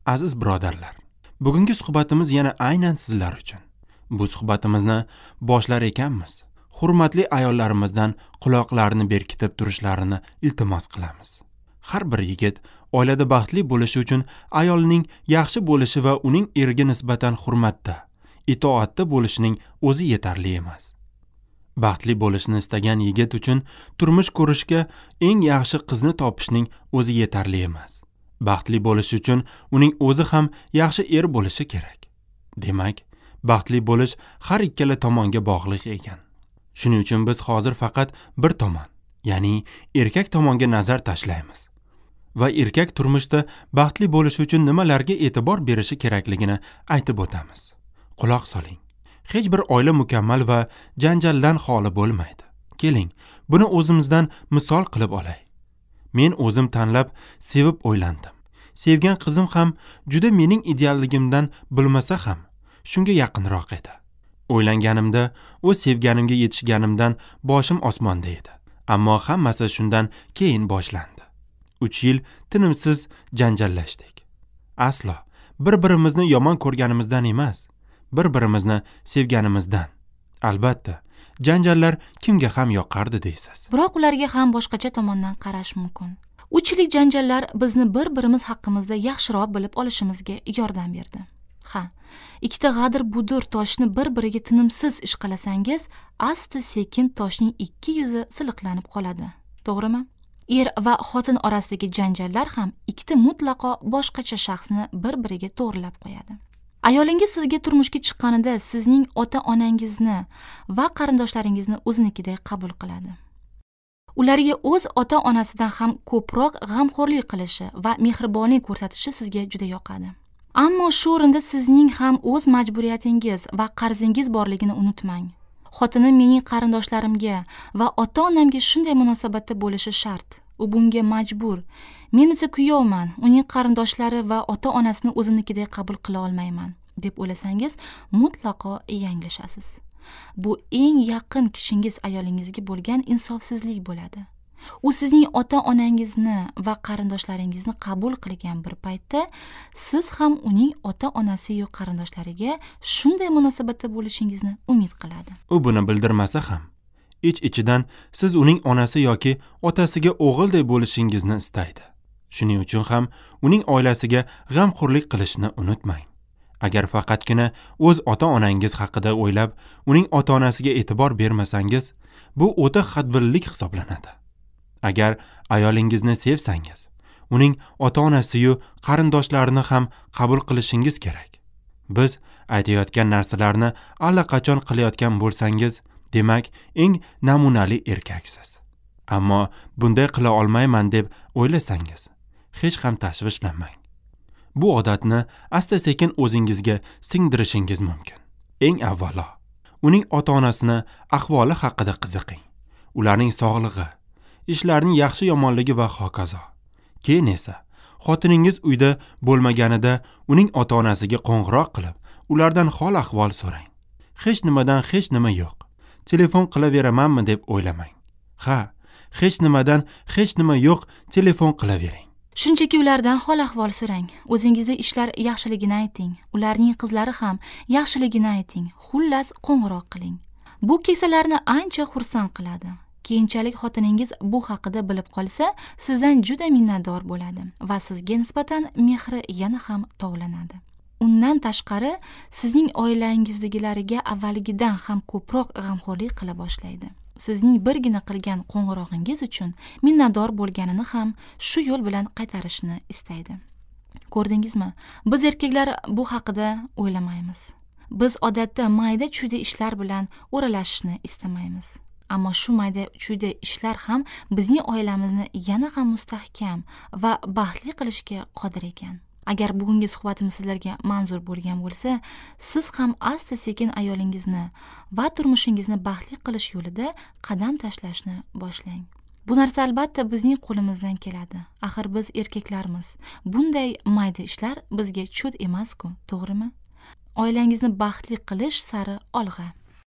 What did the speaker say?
Aziz birodarlar, bugungi suhbatimiz yana aynan sizlar uchun. Bu suhbatimizni boshlar ekanmiz, hurmatli ayollarimizdan quloqlarini berkitib turishlarini iltimos qilamiz. Har bir yigit oilada baxtli bo'lishi uchun ayolning yaxshi bo'lishi va uning eriga nisbatan hurmatda, itoatda bo'lishining o'zi yetarli emas. Baxtli bo'lishni istagan yigit uchun turmush ko'rishga eng yaxshi qizni topishning o'zi yetarli emas. Baxtli bo'lish uchun uning o'zi ham yaxshi er bo'lishi kerak. Demak, baxtli bo'lish har ikkala tomonga bog'liq ekan. Shuning uchun biz hozir faqat bir tomon, ya'ni erkak tomonga nazar tashlaymiz va erkak turmushda baxtli bo'lish uchun nimalarga e'tibor berishi kerakligini aytib o'tamiz. Quloq soling. Hech bir oila mukammal va janjaldan xoli bo'lmaydi. Keling, buni o'zimizdan misol qilib olay. Men o'zim tanlab, sevib o'ylandim. Sevgan qizim ham juda mening idealligimdan bilmasa ham shunga yaqinroq edi. O'ylanganimda, o'z sevganimga yetishganimdan boshim osmonda edi. Ammo hammasi shundan keyin boshlandi. 3 yil tinimsiz janjallashdik. Aslo bir-birimizni yomon ko'rganimizdan emas, bir-birimizni sevganimizdan. Albatta, janjallar kimga ham yoqardi deysiz. Biroq ularga ham boshqacha tomondan qarash mumkin. 3 yillik janjallar bizni bir-birimiz haqimizda yaxshiroq bilib olishimizga yordam berdi. Ha, ikkita g'adir-budur toshni bir-biriga tinimsiz ishqalasangiz, asta-sekin toshning ikki yuzi siliqlanib qoladi. To'g'rimi? Er va xotin orasidagi janjallar ham ikkita mutlaqo boshqacha shaxsni bir-biriga to'g'rilab qo'yadi. Ayolingiz sizga turmushga chiqqanida sizning ota-onangizni va qarindoshlaringizni o'zinikiday qabul qiladi. Ularga o'z ota-onasidan ham ko'proq g'amxo'rlik qilishi va mehribonlik ko'rsatishi sizga juda yoqadi. Ammo shu o'rinda sizning ham o'z majburiyatingiz va qarzingiz borligini unutmang. Xotinim mening qarindoshlarimga va ota-onamga shunday munosabatda bo'lishi shart. U bunga majbur. Men esa kuyovman, uning qarindoshlari va ota-onasini o'zimnikidek qabul qila olmayman, deb o'ylasangiz, mutlaqo yanglishasiz. Bu eng yaqin kishingiz ayolingizga bo'lgan insofsizlik bo'ladi. U sizning ota-onangizni va qarindoshlaringizni qabul qilgan bir paytda siz ham uning ota-onasi yo qarindoshlariga shunday munosabatda bo'lishingizni umid qiladi. U buni bildirmasa ham, ich-ichidan siz uning onasi yoki otasiga o'g'ilday bo'lishingizni istaydi. Shuning uchun ham uning oilasiga g'amxo'rlik qilishni unutmang. Agar faqatgina o'z ota-onangiz haqida o'ylab, uning ota-onasiga e'tibor bermasangiz, bu o'ta hadbillik hisoblanadi. Agar ayolingizni sevsangiz, uning ota-onasi-yu qarindoshlarini ham qabul qilishingiz kerak. Biz aytayotgan narsalarni allaqachon qilayotgan bo'lsangiz, demak, eng namunali erkaksiz. Ammo bunday qila olmayman deb o'ylasangiz, hech ham tashvishlanmang. Bu odatni asta-sekin o'zingizga singdirishingiz mumkin. Eng avvalo, uning ota-onasini ahvoli haqida qiziqing. Ularning sog'lig'i, ishlarining yaxshi yomonligi va hokazo. Keyin esa xotiningiz uyda bo'lmaganida uning ota-onasiga qo'ng'iroq qilib, ulardan hol-ahvol so'rang. Hech nimadan hech nima yo'q. Telefon qilaveramanmi deb o'ylamang. Ha, hech nimadan hech nima yo'q, telefon qilavering. Shunchaki ulardan hol-ahvol so'rang. O'zingizda ishlar yaxshiligini ayting. Ularning qizlari ham yaxshiligini ayting. Xullas, qo'ng'iroq qiling. Bu keksalarni ancha xursand qiladi. Keyinchalik xotiningiz bu haqida bilib qolsa, sizdan juda minnatdor bo'ladi va sizga nisbatan mehri yana ham tovlanadi. Undan tashqari, sizning oilangizdagilariga avvalgidan ham ko'proq g'amxo'rlik qila boshlaydi. Sizning birgina qilgan qo'ng'irog'ingiz uchun minnatdor bo'lganini ham shu yo'l bilan qaytarishni istaydi. Ko'rdingizmi? Biz erkaklar bu haqida o'ylamaymiz. Biz odatda mayda-chuyda ishlar bilan o'ralashishni istamaymiz. Ammo shu mayda-chuyda ishlar ham bizning oilamizni yana ham mustahkam va baxtli qilishga qodir ekan. Agar bugungi suhbatimiz sizlarga manzur bo'lgan bo'lsa, siz ham asta-sekin ayolingizni va turmushingizni baxtli qilish yo'lida qadam tashlashni boshlang. Bu narsa albatta bizning qo'limizdan keladi. Axir biz erkaklarmiz. Bunday mayda ishlar bizga cho't emas-ku, to'g'rimi? Oilangizni baxtli qilish sari olg'a.